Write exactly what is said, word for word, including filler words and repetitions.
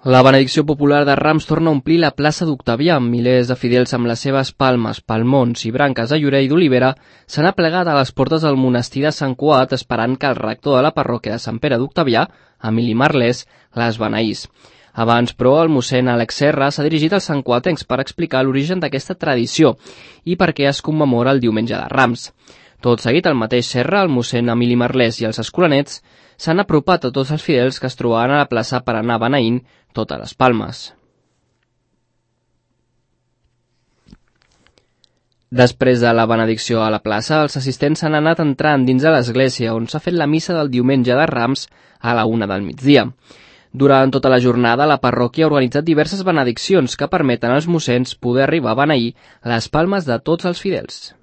La benedicció popular de Rams torna a omplir la plaça d'Octavià. Milers de fidels amb les seves palmes, palmons i branques de llorer i d'olivera s'han aplegat a les portes del monestir de Sant Cugat esperant que el rector de la parròquia de Sant Pere d'Octavià, Emili Marlès, les beneís. Abans, però, el mossèn Àlex Serra s'ha dirigit als santcuatencs per explicar l'origen d'aquesta tradició i per què es commemora el diumenge de Rams. Tot seguit, el mateix Serra, el mossèn Emili Marlès i els escolanets s'han apropat a tots els fidels que es trobaven a la plaça per anar beneint totes les palmes. Després de la benedicció a la plaça, els assistents s'han anat entrant dins de l'església, on s'ha fet la missa del diumenge de Rams a la una del migdia. Durant tota la jornada, la parròquia ha organitzat diverses benediccions que permeten als mossens poder arribar a beneir les palmes de tots els fidels.